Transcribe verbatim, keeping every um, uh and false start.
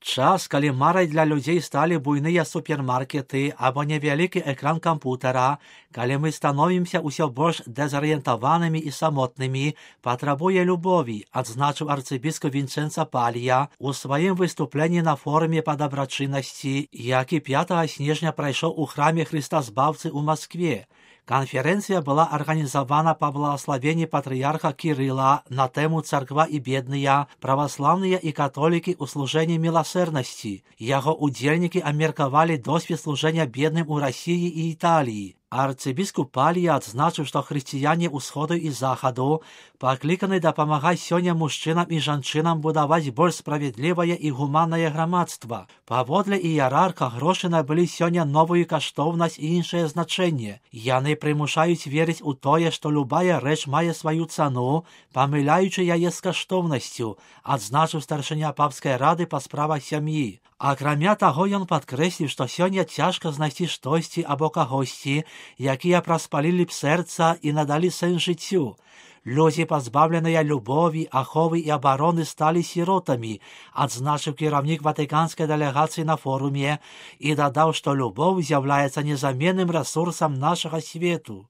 час, калі марай для людзей сталі буйныя супермаркеты або невялікі экран кампутара, калі мы становімся ўсё больш дэзарыентаванымі і самотнымі, патрабуе любові, адзначыў арцыбіскуп Вінчэнца Палія у сваім выступленні на форуме па дабрачыннасці, які пятага снежня прайшоў у храме Хрыстазбаўцы ў Маскве. Конференция была организована по благословению патриарха Кирилла на тему «Церква и бедные, православные и католики у служения милосердности». Его удельники омерковали досвід служения бедным у России и Италии. Арцыбіскуп Палія адзначыў, што хрысціяне ўсходу і захаду пакліканы дапамагаць сёння мужчынам і жанчынам будаваць больш справядлівае і гуманнае грамадства. Паводле іерарха грошы набылі сёння новую каштоўнасць і іншае значэнне. Яны прымушаюць верыць у тое, што любая рэч мае сваю цану, памыляючы яе з каштоўнасцю, адзначыў старшыня папскай рады па справах сям'і. Акрамя таго, ён падкрэсліў, што сёння цяжка знайсці штосьці або кагосьці, якія праспалілі б сэрца і надалі сэнс жыццю. Людзі, пазбаўленыя любові, аховы і абароны, сталі сіротамі, адзначыў кіраўнік ватыканскай дэлегацыі на форуме і дадаў, што любоў з'яўляецца незаменным рэсурсам нашага свету.